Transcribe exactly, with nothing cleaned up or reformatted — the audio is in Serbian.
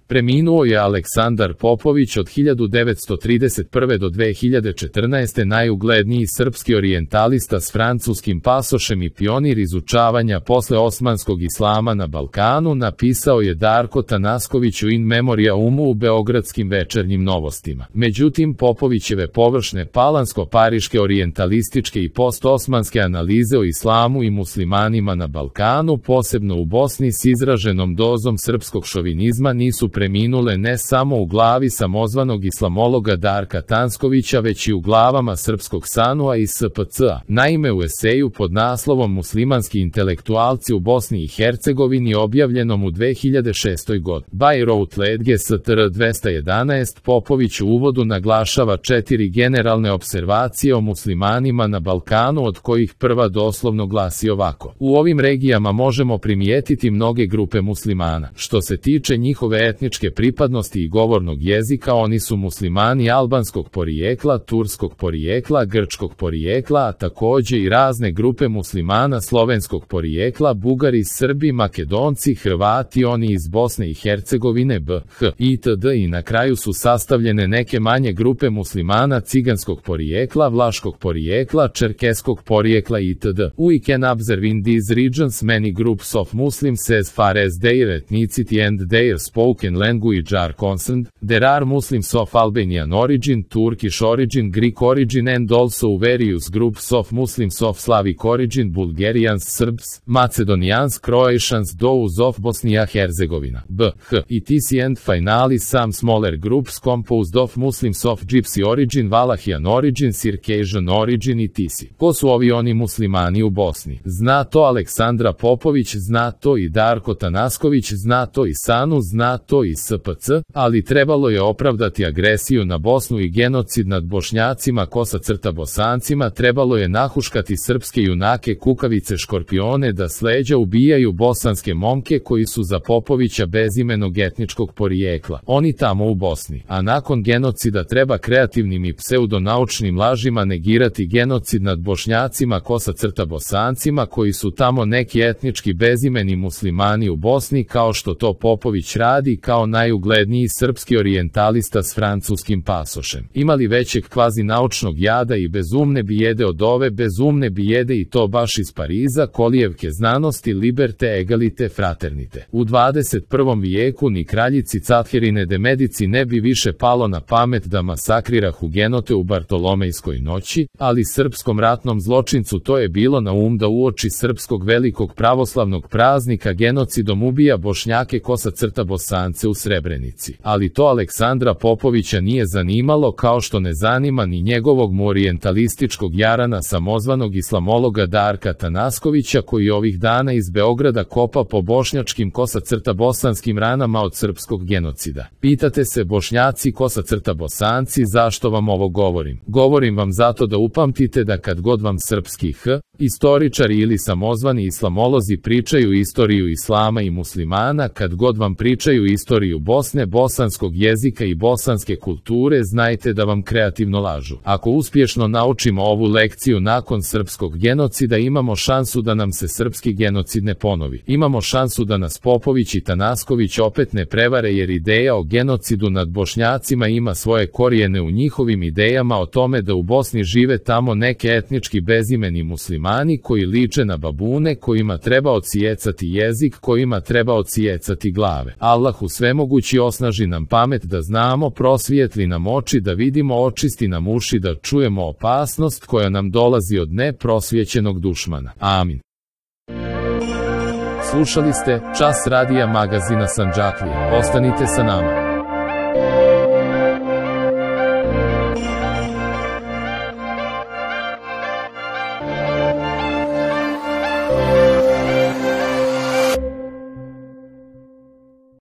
Preminuo je Aleksandar Popović, od hiljadu devetsto trideset prve do dve hiljade četrnaeste. najugledniji srpski orijentalista s francuskim pasošem i pionir izučavanja posle osmanskog islama na Balkanu, napisao je Darko Tanasković u in memoriamu u beogradskim Večernjim novostima. Međutim, Popovićeve površne palansko-pariške orijentalističke i post-osmanske analize o islamu i muslimanima na Balkanu, posebno u Bosni s izraženom dozom srpskog šovinizma, nisu preminule ne samo u glavi samozvanog islamologa Darka Tanskovića, već i u glavama srpskog sanua i S P C-a. Naime, u eseju pod naslovom Muslimanski intelektualci u Bosni i Hercegovini, objavljenom u dve hiljade šestoj. godini, by Routledge S T R dvesta jedanaest, Popović u uvodu naglašava četiri generalne observacije o muslimanima na Balkanu, od kojih prva doslovno glasi ovako: u ovim regijama možemo primijetiti mnoge grupe muslimana. Što se tiče njihove etničke pripadnosti i govornog jezika, oni su muslimani albanskog porijekla, turskog porijekla, grčkog porijekla, a takođe i razne grupe muslimana slovenskog porijekla, Bugari, Srbi, Makedonci, Hrvati, oni iz Bosne i Hercegovine, B H itd. I na kraju su sastavljene neke manje grupe muslimana ciganskog porijekla, vlaškog porijekla, čerkeskog porijekla itd. We can observe in these regions many groups of Muslims as far as their ethnicity and their spoken language are concerned. There are Muslims of Albanian origin, Turkish origin, Greek origin, and also various groups of Muslims of Slavic origin, Bulgarians, Serbs, Macedonians, Croatians, those of Bosnia-Herzegovina, B H etc. and finally some smaller groups composed of Muslims of Gypsy origin, Valahian origin, Circassian origin etcetera. Ko su ovi oni muslimani u Bosni? Zna to Aleksandra Popović, zna to i Darko Tanasković, zna to i Sanu, zna to i S P C, ali trebalo je opravdati agresiju na Bosnu i genocid nad Bošnjacima, kosa crta Bosancima, trebalo je nahuškati srpske junake, kukavice, škorpione, da s leđa ubijaju bosanske momke koji su za Popovića bezimenog etničkog porijekla. Oni tamo u Bosni. A nakon genocida treba kreativnim i pseudonaučnim lažima negirati genocid nad Bošnjacima, kosa crta Bosancima, koji su tamo neki etnički bezimeni muslimani u Bosni, kao što to Popović radi kao najugledniji srpski orijentalista s francuskim pasošem. Imali većeg kvazi naučnog jada i bezumne bijede od ove bezumne bijede, i to baš iz Pariza, kolijevke znanosti, liberte, egalite, fraternite. U dvadeset prvom vijeku ni kraljici Catherine de Medici ne bi više palo na pamet da masakrira hugenote u Bartolomejskoj noći, ali srpskom ratnom zločincu to je bilo na um da uoči srpskog velikog pravoslavnog praznika genocidom ubija Bošnjake, kosa crta Bosance u Srebrenici. Ali to Aleksandra Popovića nije zanimalo, kao što ne zanima ni njegovog mu orijentalističkog jarana samozvanog islamologa Darka Tanaskovića, koji ovih dana iz Beograda kopa po bošnjačkim, kosa crta bosanskim ranama od srpskog genocida. Pitate se, Bošnjaci, kosa crta Bosanci, zašto vam ovo govorim? Govorim vam zato da upamtite da kad god vam srpski h istoričari ili samozvani islamolozi pričaju istoriju islama i muslimana, kad god vam pričaju istoriju Bosne, bosanskog jezika i bosanske kulture, znajte da vam kreativno lažu. Ako uspješno naučimo ovu lekciju nakon srpskog genocida, imamo šansu da nam se srpski genocid ne ponovi. Imamo šansu da nas Popović i Tanasković opet ne prevare, jer ideja o genocidu nad Bošnjacima ima svoje korijene u njihovim idejama o tome da u Bosni žive tamo neke etnički bezimeni muslimani koji liče na babune, kojima treba odsijecati jezik, kojima treba odsijecati glave. Allahu svemogući osnaži nam pamet da znamo, prosvijetli nam oči da vidimo, očisti nam uši da čujemo opasnost koja nam dolazi od neprosvjećenog dušmana. Amin. Slušali ste Čas radija magazina Sandžaklija. Ostanite sa nama.